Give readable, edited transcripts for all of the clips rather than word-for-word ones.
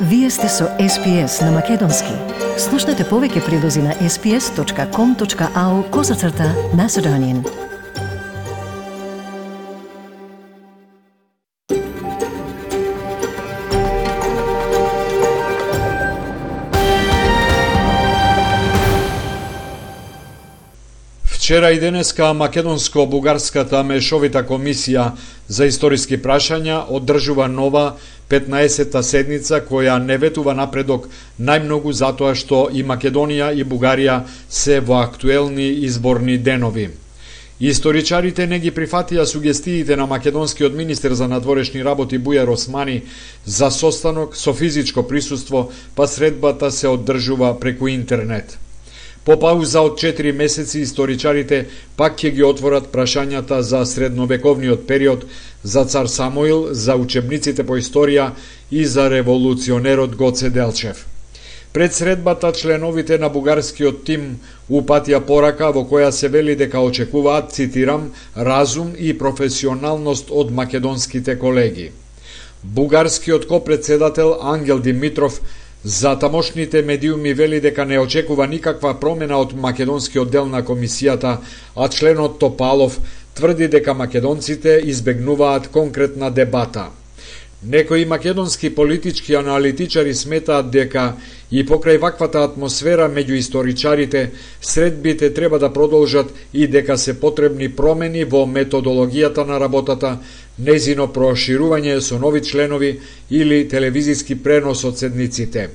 Вие сте со SPS на Македонски. Слушнете повеќе прилози на sps.com.au/Macedonian. Вчера и денеска Македонско-Бугарската мешовита комисија за историски прашања одржува нова 15-та седница која не ветува напредок најмногу затоа што и Македонија и Бугарија се во актуелни изборни денови. Историчарите не ги прифатија сугестиите на македонскиот министер за надворешни работи Бујар Османи за состанок со физичко присуство, па средбата се одржува преку интернет. По пауза од 4 месеци, историчарите пак ќе ги отворат прашањата за средновековниот период, за цар Самуил, за учебниците по историја и за револуционерот Гоце Делчев. Пред средбата, членовите на бугарскиот тим упатија порака во која се вели дека очекуваат, цитирам, разум и професионалност од македонските колеги. Бугарскиот копредседател Ангел Димитров за тамошните медиуми вели дека не очекува никаква промена од македонскиот дел на комисијата, а членот Топалов тврди дека македонците избегнуваат конкретна дебата. Некои македонски политички аналитичари сметаат дека и покрај ваквата атмосфера меѓу историчарите, средбите треба да продолжат и дека се потребни промени во методологијата на работата, нејзино проширување со нови членови или телевизиски пренос од седниците.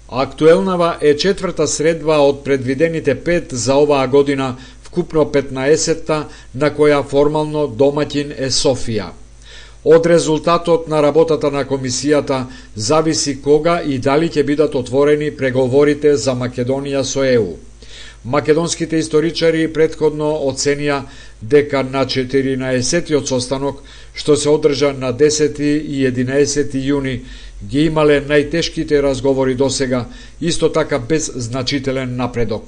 Актуелнава е 4-та средба од предвидените 5 за оваа година, вкупно 15-та, на која формално домаќин е Софија. Од резултатот на работата на комисијата зависи кога и дали ќе бидат отворени преговорите за Македонија со ЕУ. Македонските историчари претходно оценија дека на 14-тиот состанок, што се одржа на 10 и 11 јуни, ги имале најтешките разговори досега, исто така без значителен напредок.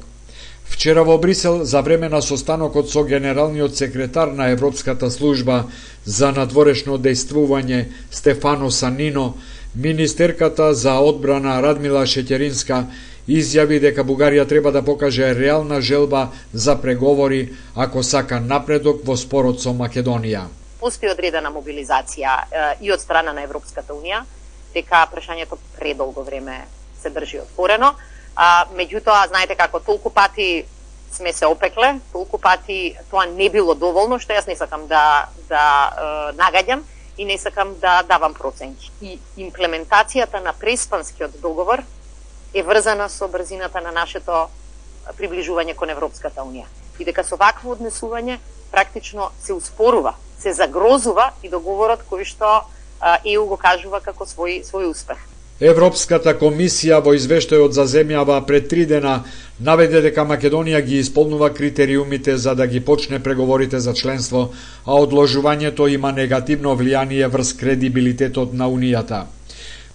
Вчера во Брисел, за време на состанокот со генералниот секретар на Европската служба за надворешно дејствување Стефано Санино, министерката за одбрана Радмила Шеќеринска изјави дека Бугарија треба да покаже реална желба за преговори ако сака напредок во спорот со Македонија. Постои одредена мобилизација и од страна на Европската унија, дека прашањето предолго време се држи отворено. Меѓутоа, знаете како, толку пати сме се опекле, толку пати тоа не било доволно, што јас не сакам да нагаѓам и не сакам да давам проценки. И имплементацијата на преспанскиот договор е врзана со брзината на нашето приближување кон Европската унија. И дека со вакво однесување практично се успорува, се загрозува и договорот кој што ЕУ го кажува како свој успех. Европската комисија во извештајот за земјава пред 3 дена наведе дека Македонија ги исполнува критериумите за да ги почне преговорите за членство, а одложувањето има негативно влијание врз кредибилитетот на Унијата.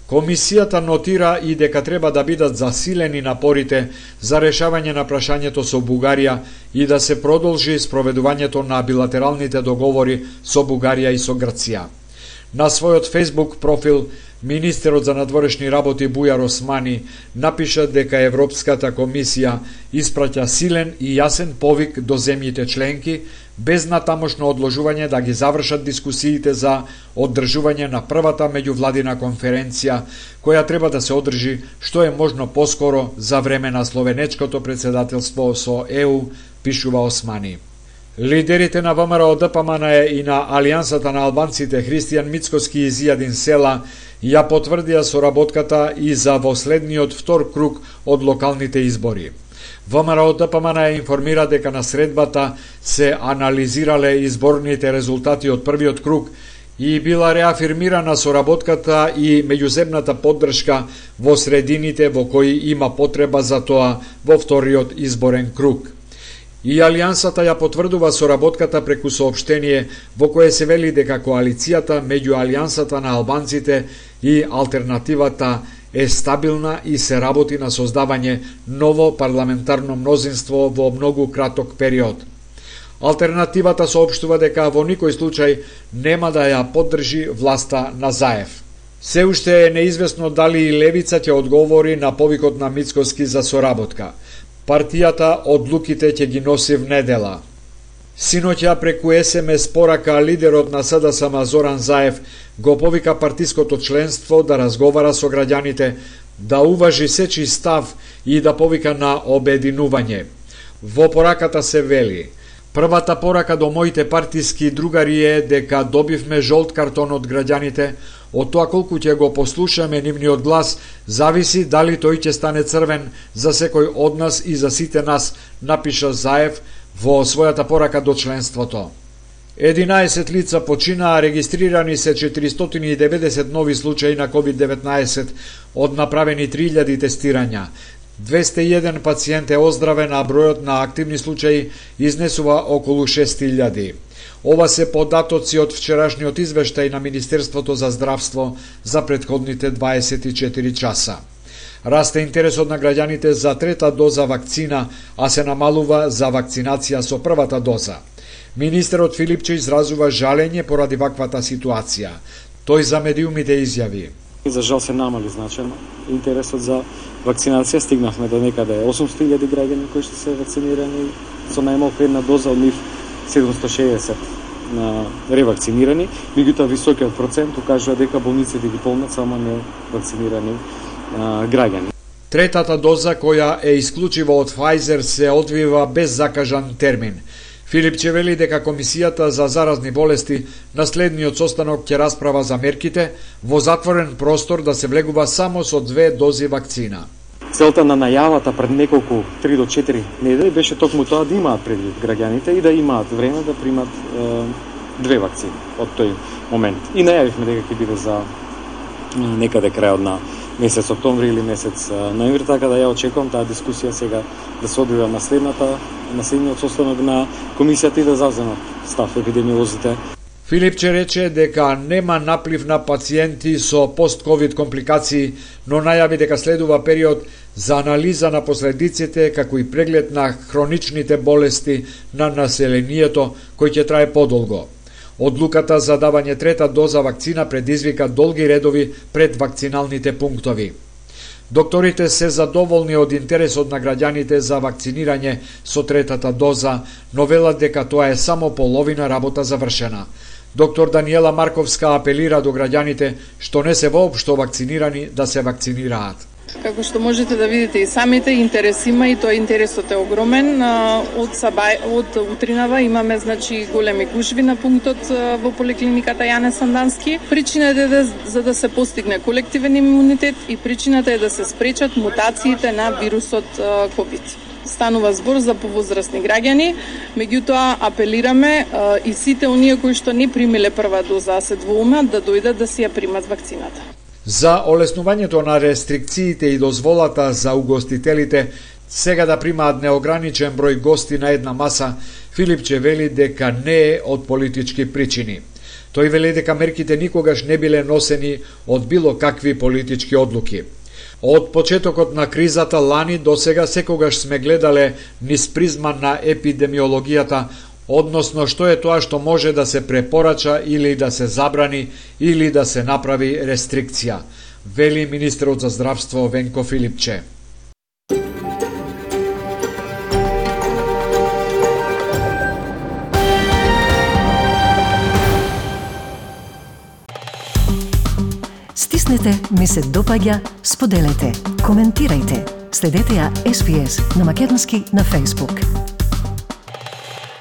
Комисијата нотира и дека треба да бидат засилени напорите за решавање на прашањето со Бугарија и да се продолжи спроведувањето на билатералните договори со Бугарија и со Грција. На својот Facebook профил, министерот за надворешни работи Бујар Османи напиша дека Европската комисија испраќа силен и јасен повик до земјите членки, без натамошно одложување да ги завршат дискусиите за оддржување на првата меѓувладина конференција, која треба да се одржи што е можно поскоро за време на словенечкото председателство со ЕУ, пишува Османи. Лидерите на ВМРО-ДПМН и на Алијансата на албанците Христијан Мицкоски и Зијадин Села ја потврдија соработката и за во следниот втор круг од локалните избори. ВМРО-ДПМН информира дека на средбата се анализирале изборните резултати од првиот круг и била реафирмирана соработката и меѓуземната поддршка во средините во кои има потреба за тоа во вториот изборен круг. И Алијансата ја потврдува соработката преку соопштение во кое се вели дека коалицијата меѓу Алијансата на албанците и алтернативата е стабилна и се работи на создавање ново парламентарно мнозинство во многу краток период. Алтернативата соопштува дека во никој случај нема да ја поддржи власта на Заев. Се уште е неизвестно дали и левица ќе одговори на повикот на Мицкоски за соработка. Партијата одлуките ќе ги носи в недела. Синоќа преку СМС порака лидерот на СДСМ Зоран Заев го повика партиското членство да разговара со граѓаните, да уважи сечи став и да повика на обединување. Во пораката се вели: првата порака до моите партиски другари е дека добивме жолт картон од граѓаните. Од тоа колку ќе го послушаме нивниот глас, зависи дали тој ќе стане црвен за секој од нас и за сите нас, напиша Заев во својата порака до членството. 11 лица починаа, регистрирани се 490 нови случаи на COVID-19 од направени 3000 тестирања. 201 пациент е оздравен, а бројот на активни случаи изнесува околу 6000. Ова се податоци од вчерашниот извештај на Министерството за здравство за претходните 24 часа. Расте интересот на граѓаните за трета доза вакцина, а се намалува за вакцинација со првата доза. Министерот Филипче изразува жалење поради ваквата ситуација. Тој за медиумите изјави: за жал се намали значено интересот за вакцинација, стигнавме до некаде 800.000 граѓани кои што се вакцинирани со најмалку една доза, од нив 760 на ревакцинирани, меѓутоа високиот процент укажува дека болниците ги полнат само не вакцинирани граѓани. Третата доза, која е исклучиво од Pfizer, се одвива без закажан термин. Филипче вели дека Комисијата за заразни болести на следниот состанок ќе расправа за мерките во затворен простор да се влегува само со 2 дози вакцина. Целта на најавата пред неколку 3 до 4 недели беше токму тоа да имаат предвид граѓаните и да имаат време да примат 2 вакцини од тој момент. И најавивме дека ќе биде за некаде крајот на месец октомври или месец ноември, така да ја очекувам таа дискусија сега да се одвива на следниот состанок на комисијата и да завземат став епидемиолозите. Филипче рече дека нема наплив на пациенти со пост-ковид компликации, но најави дека следува период за анализа на последиците, како и преглед на хроничните болести на населението, кој ќе трае подолго. Одлуката за давање трета доза вакцина предизвика долги редови пред вакциналните пунктови. Докторите се задоволни од интересот на граѓаните за вакцинирање со третата доза, но велат дека тоа е само половина работа завршена. Доктор Даниела Марковска апелира до граѓаните што не се воопшто вакцинирани да се вакцинираат. Како што можете да видите и самите, интерес има и тоа интересот е огромен. Од утринава имаме големи гужви на пунктот во поликлиниката Јане Сандански. Причината е за да се постигне колективен имунитет и причината е да се спречат мутациите на вирусот COVID. Станува збор за повозрастни граѓани, меѓутоа апелираме и сите оние кои што не примиле прва доза, а се двоумат да дојдат да си ја примат вакцината. За олеснувањето на рестрикциите и дозволата за угостителите сега да примаат неограничен број гости на една маса, Филипче вели дека не е од политички причини. Тој вели дека мерките никогаш не биле носени од било какви политички одлуки. Од почетокот на кризата лани до сега секогаш сме гледале низ призма на епидемиологијата, односно што е тоа што може да се препорача или да се забрани или да се направи рестрикција, вели министерот за здравство Венко Филипче. Стиснете, ми се допаѓа, споделете, коментирајте. Следете ја SPS на Македонски на Facebook.